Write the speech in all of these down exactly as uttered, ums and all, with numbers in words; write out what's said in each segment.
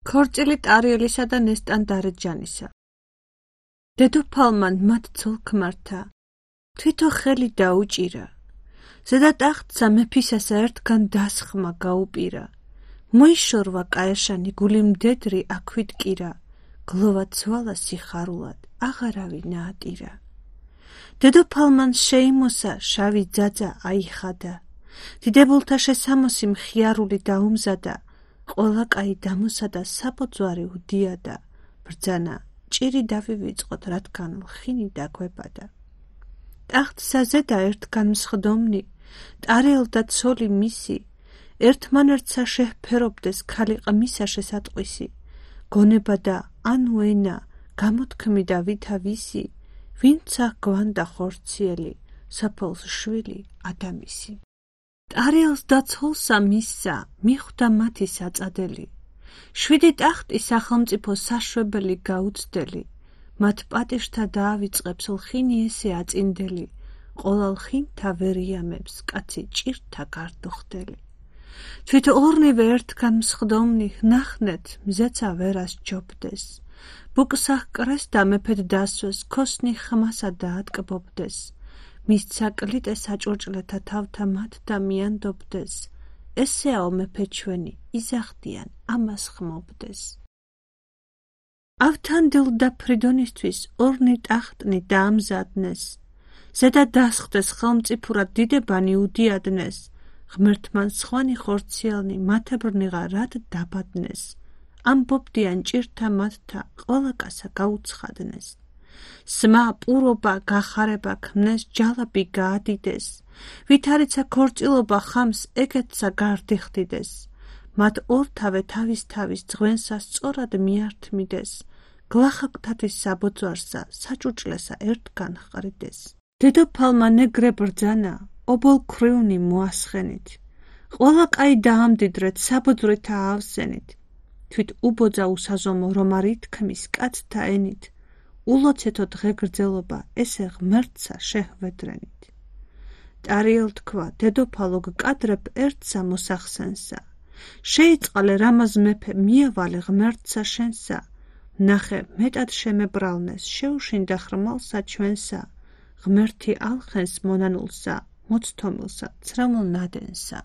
ქორწილი ტარიელისა და ნესტან დარეჯანისა. დედოფალმა მათ ცოლ-ქმართა თვითო ხელი დაუჭირა. ზედა ტახტსა მეფისასა ერთგან დასხმა გაუპირა. მოიშორვა კაერშანი გული მდედრი აქვით კირა. გლოვა ცვალა სიხარულად აღარავი ნაატირა. დედოფალმან შეიმოსა შავი ძაძა აიხადა. დიდებულთა შესამოსი მხიარული დაუმზადა. ყველა კაი დამოსადა საბოძვარი უდიადა. ბრძანა ჭირი დავივიწყოთ რადგან ლხინი დაგვებადა. ტახტსა ზედა ერთგან მსხდომნი ტარიელ და ცოლი მისი ერთმანერთსა შეჰფერობდეს ქალი ყმისა შესატყვისი. გონება და ანუ ენა გამოთქმიდა ვითა ვისი ვინცა გვანდა ხორციელი საფოლს შვილი ადამისი. ტარიელს და ცოლსა მისსა მიხვდა მათი საწადელი. შვიდი ტახტი სახელმწიფო საშვებელი გაუცდელი. მათ პატეშთა დაავიწყებს ლხინი ესე აწინდელი. ყოლა ლხინთა ვერიამებს კაცი ჭირთა გარდუხდელი. თვით ორნივე ერთგან მსხდომნი ნახნეთ მზეცა ვერას ჯობდეს. ბუკსა ჰკრეს და მეფედ დასვეს ქოსნი ხმასა დაატკბობდეს. მისცა კლიტე საჭურჭლეთა თავთა მათ და მიანდობდეს. ესეაო მეფე ჩვენი იზახდიან ამას ხმობდეს. ავთანდილ და ფრიდონისთვის ორნი ტახტნი დაამზადნეს. ზედა დასხდეს ხელმწიფურად დიდებანი უდიადნეს. ღმერთმან სხვანი ხორციელნი მათებრნიღა რად დაბადნეს. ამბობდიან ჭირთა მათთა ყველა კაცსა გაუცხადნეს. სმა პურობა გახარება ქმნეს ჯალაბი გაადიდეს. ვითარიცა ქორწილობა ხამს ეგეთსა გარდიხდიდეს. მათ ორთავე თავის თავის ძღვენსა სწორად მიართმიდეს. გლახაკთათის საბოძვარსა საჭურჭლესა ერთგან ჰყრიდეს. დედოფალმა ნეგრე ბრძანა ობოლ ქრივნი მოასხენით. ყველა კაი დაამდიდრეთ საბოძვრითა ავსენით. თვით უბოძა უსაზომო რომ არ ითქმის კაცთა ენით. ულოცეთო დღე გრძელობა ესე ღმერთსა შეჰვედრენით. ტარიელ თქვა დედოფალო გკადრებ ერთსა მოსახსენსა. შეიწყალე რამაზ მეფე მიავალე ღმერთსა შენსა. ნახე მეტად შემებრალნეს შეუშინდა ხრმალსა ჩვენსა. ღმერთი ალხენს მონანულსა მოცთომილსა ცრემლ ნადენსა.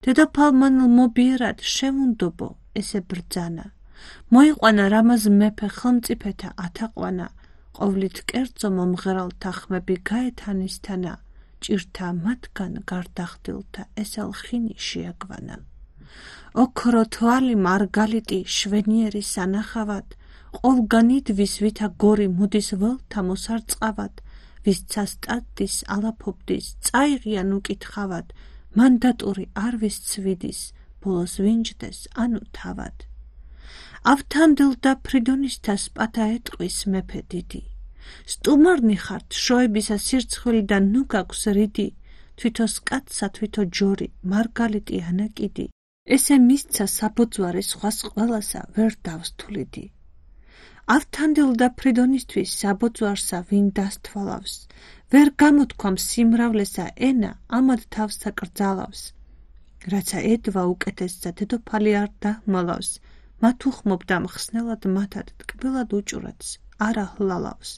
დედოფალმან მობიერად შევუნდობო ესე ბრძანა. მოიყვანა რამაზ მეფე ხელმწიფეთა ათაყვანა. ყოვლით კერძო მომღერალთა ხმები გაეთანისთანა. ჭირთა მათგან გარდახდილთა ესა ლხინი შეაგვანა. ოქრო თვალი მარგალიტი შვენიერი სანახავად. ყოვლგან იდვის ვითა გორი მოდის ველთა მოსარწყავად. ვისცა სტატდის ალაფობდის წაიღიან უკითხავად. მანდატური არ ვისცვიდის ბოლოს ვინჯდეს ანუ თავად. ავთანდილ და ფრიდონისთას პათა ეტყვის მეფე დიდი. სტუმარნი ხართ შოებისა სირცხვილი და ნუ გაქვს რიდი. თვითოს კაცსა თვითო ჯორი მარგალიტი ანაკიდი. ესე მისცა საბოძვარი სხვას ყველასა ვერ დავსთვლიდი. ავთანდილ და ფრიდონისთვის საბოძვარსა ვინ დასთვალავს. ვერ გამოთქვამს სიმრავლესა ენა ამად თავს საკრძალავს. რაცა ედვა უკეთესსა დედოფალი არ დაჰმალავს. მათ უხმობდა მხსნელად მათად ტკბილად უჭვრეთს არა ჰლალავს.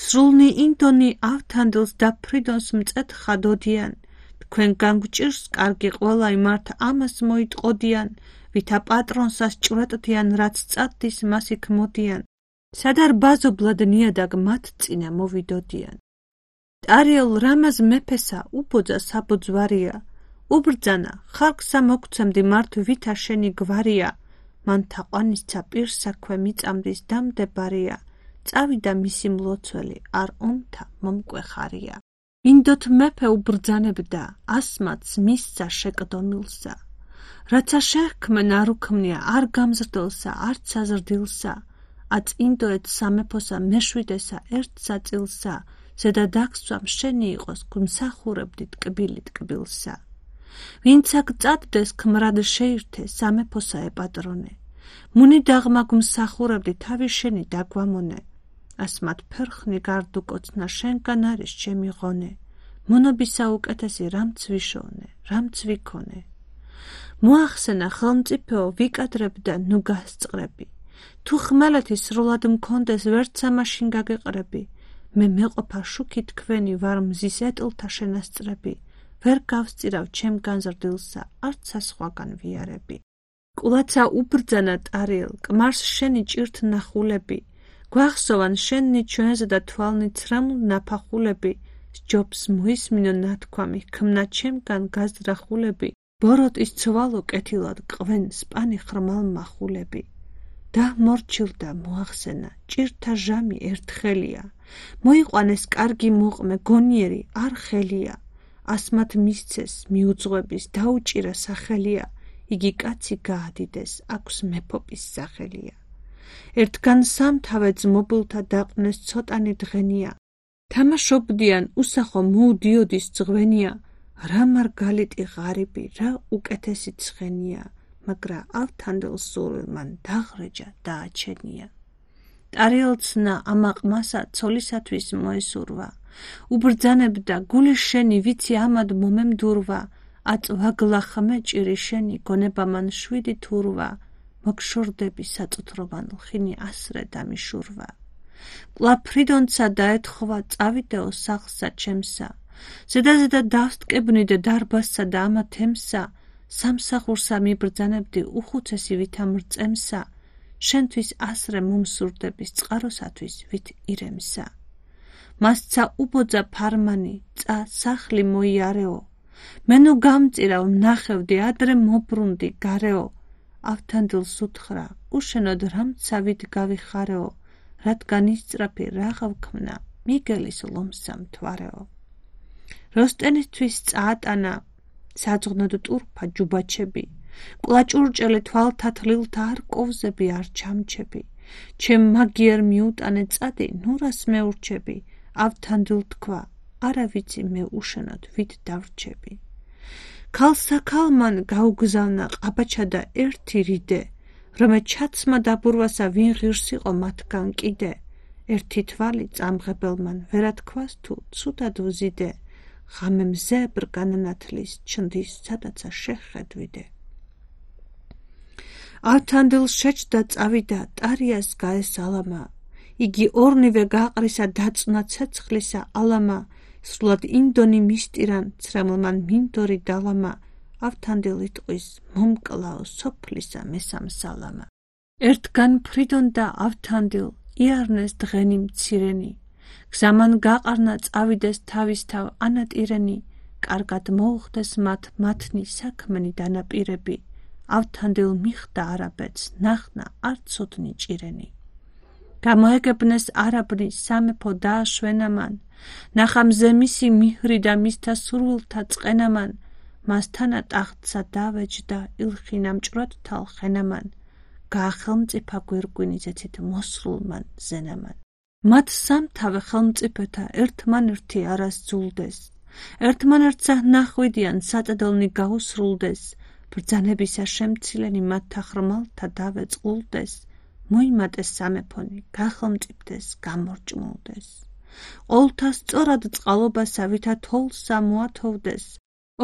სრულნი ინდონი ავთანდილს და ფრიდონს მწეთხა დოდიან. თქვენ განგვჭირს კარგი ყველა იმართ ამას მოიტყოდიან. ვითა პატრონსას ჭვრეტდიან რაც წადდის მას იქ მოდიან. სადარ ბაზობლად ნიადაგ მათ წინა მოვიდოდიან. ტარიელ რამაზ მეფესა უბოძა საბოძვარია. უბრძანა ხალხსა მოგცემდი მართ ვითა შენი გვარია. მან თაყვანისცა პირსაქვე მიწამდის დამდებარია. წავიდა მისი მლოცველი არ ომთა მომკვეხარია. ინდოთ მეფე უბრძანებდა ასმაც მისცა შეკდომილსა. რაცა შეჰქმენ არ უქმნია არ გამზრდელსა არც აზრდილსა. აწ ინდოეთ სამეფოსა მეშვიდესა ერთსა წილსა. ზედა დაგსვამ შენი იყოს გვმსახურებდი ტკბილი ტკბილსა. ვინცა გწადდეს ქმრად შეირთე სამეფოსა ეპატრონე. მუნი დაღმა გვმსახურებდი თავი შენი დაგვამონე. ასმათ ფერხნი გარდუკოცნა შენგან არის ჩემი ღონე. მონობისა უკეთესი რამც ვიშოვნე რამც ვიქონე. მოახსენა ხელმწიფეო ვიკადრებდა ნუ გასწყრები. თუ ხმელეთი სრულად მქონდეს ვერც ამაშინ გაგეყრები. მე მეყოფა შუქი თქვენი ვარ მზის ეტლთა შენასწრები. ვერ გავსწირავ ჩემ განზრდილსა არც საზღვაგან ვიარები. კულაცა უბრძანა ტარიელ კმარს შენი ჭირთ ნახულები. გვახსოვან შენი ჩვენზე და თვალნი ცრემლ ნაფახულები. სჯობს მოისმინო ნათქვამი ქმნა ჩემგან გაზრახულები. ბოროტის ცვალო კეთილად ყვენ სპანი ხრმალ მახულები. და მორჩილდა მოახსენა ჭირთა ჟამი ერთხელია. მოიყვანეს კარგი მოყმე გონიერი არ ხელია. ასმათ მისცეს მიუძღვების დაუჭირა სახელია. იგი კაცი გაადიდეს აქვს მეფობის სახელია. ერთგან სამთავე ძმობილთა დაყვნეს ცოტანი დღენია. თამაშობდიან უსახო მოუდიოდის ძღვენია. რა მარგალიტი ღარიბი რა უკეთესი ცხენია. მაგრა ავთანდილ სურვილმან დაღრეჯა დააჩენია. ტარიელცნა ამაყმასა ცოლისათვის მოესურვა. უბრძანებდა გული შენი ვიცი ამად მომემდურვა. აწვაგლა ხმე ჭირი შენი გონება მან შვიდი თურვა. მოგშორდები საწუთროვან ლხინი ასრე დამიშურვა. კვლავ ფრიდონცა დაეთხოვა წავიდეო სახლსა ჩემსა. ზედაზედა დავსტკებნიდე დარბაზსა და ამა თემსა. სამსახურსა მიბრძანებდი უხუცესი ვითამრწემსა. შენთვის ასრე მომსურდების წყაროსათვის ვით ირემსა. მასცა უბოძა ფარმანი წა სახლი მოიარეო. მენო გამწირავ ნახევდი ადრე მობრუნდი გარეო. ავთანდილს უთხრა უშენოდ რამცა ვით გავიხარეო. რადგან ისწრაფი რაღა ვქმნა მიგელის ლომსა მთვარეო. როსტენისთვის წაატანა საძღნოდ ტურფა ჯუბაჩები. კლაჭურჭელი თვალთა თლილთა არ კოვზები არ ჩამჩები. ჩემ მაგიერ მიუტანე წადი ნურას მეურჩები. ავთანდილ თქვა არა ვიცი მე უშენოდ ვით დავრჩები. ქალსაქალმან გაუგზავნა ყაბაჩა და ერთი რიდე. რომე ჩაცმა დაბურვასა ვინ ღირს იყო მათგან კიდე. ერთი თვალი წამღებელმან ვერათქვას თუ ცუდად ვზიდე. ღამე მზე ბრგანანათლის ჩნდის სადაცა შეხედვიდე. ავთანდილ შეჭდა წავიდა ტარიას გაესალამა. იგი ორნივე გაყრისა დაწნა ცეცხლისა ალამა. სრულად ინდონი მისტირან ცრემლმან მინდორი დალამა. ავთანდილ იტყვის მომკლაო სოფლისა მესამსალამა. ერთგან ფრიდონ და ავთანდილ იარნეს დღენი მცირენი. გზამან გაყარნა წავიდეს თავისთავ ანატირენი. კარგად მოუხდეს მათ მათნი საქმენი დანაპირები. ავთანდილ მიხდა არაბეთს ნახნა არ ცოდნი ჭირენი. გამოეგებნეს არაბნი სამეფო დააშვენამან. ნახა მზე მისი მიჰრი და მისთა სურვილთა წყენამან. მასთანა ტახტსა დავეჯდა ილხინა მჭვრად თალხენამან. გაახელმწიფა გვირგვინი ზეცით მოსრულმან ზენამან. მათ სამთავე ხელმწიფეთა ერთმანერთი არას ძულდეს. ერთმანერთსა ნახვიდიან საწედელნი გაუსრულდეს. ბრძანებისა შემცილენი მათთა ხრმალთა დავეწყულდეს. მოიმატეს სამეფონი გახელმწიფდეს გამორჭმულდეს. ყოვლთა სწორად წყალობასა ვითა თოლსა მოათოვდეს.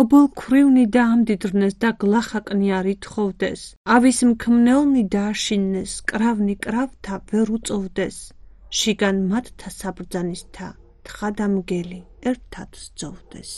ობოლ ქვრივნი დაამდიდრნეს და გლახაკნი არ ითხოვდეს. ავის მქმნელნი დააშინნეს კრავნი კრავთა ვერ უწოვდეს. შიგან მათთა საბრძანისთა თხა და მგელი ერთად სძოვდეს.